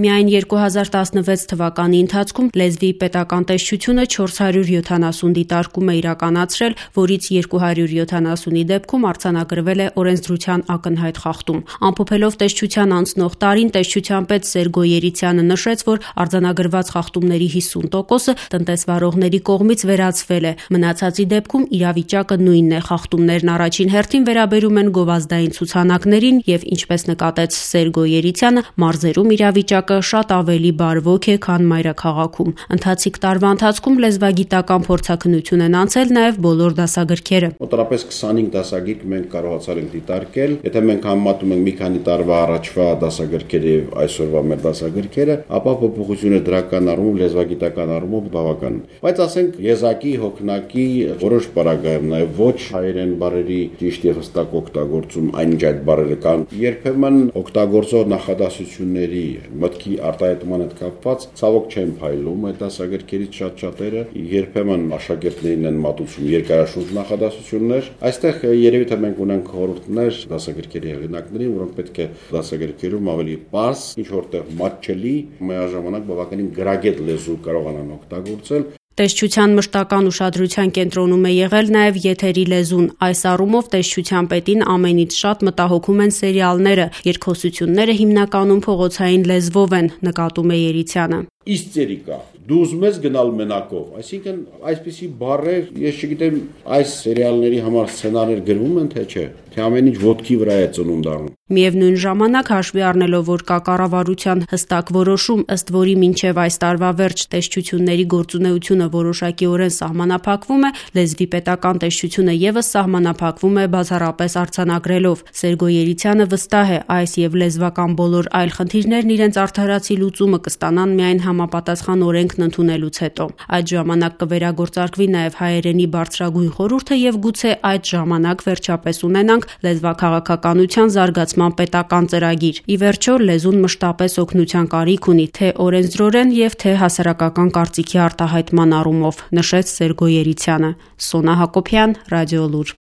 Միայն 2016 թվականի ընթացքում լեզվի պետական տեսչությունը 470 դիտարկում է իրականացրել, որից 270-ի դեպքում արձանագրվել է օրենսդրության ակնհայտ խախտում։ Ամփոփելով տեսչության անցնող տարին, տեսչության պետ Սերգո Երիցյանը նշեց, որ արձանագրված խախտումների 50%-ը տնտեսվարողների կողմից վերացվել է։ Մնացածի դեպքում իրավիճակը նույնն է։ Խախտումներն առաջին հերթին վերաբերում են գովազդային ցուցանակներին եւ, ինչպես նկատեց Սերգո Երիցյանը, մարզերում իրավիճակը շատ ավելի բարվոք է, քան մայրաքաղաքում։ Ընթացիկ տարվա ընթացքում լեզվագիտական փորձաքննություն են անցել նաեւ բոլոր դասագրքերը։ Մոտավորապես 25 դասագիրք մենք կարողացել ենք դիտարկել։ Եթե մենք համեմատում ենք մի քանի տարվա առաջվա դասագրքերը եւ այսօրվա մեր դասագրքերը, ապա փոփոխությունը դրական առումով, լեզվագիտական առումով բավական է։ Բայց ասենք եզակի, հոգնակի որոշ բառագայում նաեւ ոչ հայերեն բառերի ճիշտ եւ հստակ օգտագործում, այնինչ այդ բառերը կան երբեմն օգտագործող նախադասությունների մտքի արտահայտման հետ կապված ցավոք չեն փայլում այդ դասագրքերից շատերը, երբեմն աշակերտներին են մատուցում երկարաշունչ նախադասություններ։ Այստեղ երևի թե մենք ունենք խորհուրդներ դասագրքերի հեղինակներին, որոնք պետք է դասագրքերում ավելի պարզ, ինչ որտեղ մատչելի, միաժամանակ բավականին գրագետ լեզու կարողանան օգտագործել։ Տեսչության մշտական ուշադրության կենտրոնում է եղել նաև եթերի լեզուն։ Այս առումով տեսչության պետին ամենից շատ մտահոգում են սերիալները, երկխոսությունները հիմնականում փողոցային լեզվով են, նկատում է Երիցյանը։ Իստրիկա, դու ուզում ես գնալ մենակով, այսինքն այսպիսի բառեր, ես չգիտեմ, այս սերիալների համար սցենարներ գրվում են թե չէ, թե ամեն ինչ ոտքի վրա է ծնունդ առնում։ Միևնույն ժամանակ հաշվի առնելով, որ կա կառավարության հստակ որոշում, ըստ որի մինչև այս տարվա վերջ տեսչությունների գործունեությունը որոշակիորեն սահմանափակվում է, լեզվի պետական տեսչությունը ևս սահմանափակվում է բացառապես արձանագրելով։ Սերգո Երիցյանը վստահ է, այս եւ լեզվական բոլոր այլ խնդիրներն իրենց արդարացի լուծումը կստանան միայն համապատասխան օրենքն ընդունելուց հետո։ Այդ ժամանակ կվերագործարկվի նաև հայերենի բարձրագույն խորհուրդը եւ գուցե այդ ժամանակ վերջապես ունենանք լեզվաքաղաքականության զարգացման պետական ծրագիր։ Ի վերջո, լեզուն մշտապես օգնության կարիք ունի թե օրենսդրորեն եւ թե հասարակական կարծիքի արտահայտման առումով, նշեց Սերգո Երիցյանը։ Սոնա Հակոբյան, Ռադիոլուր։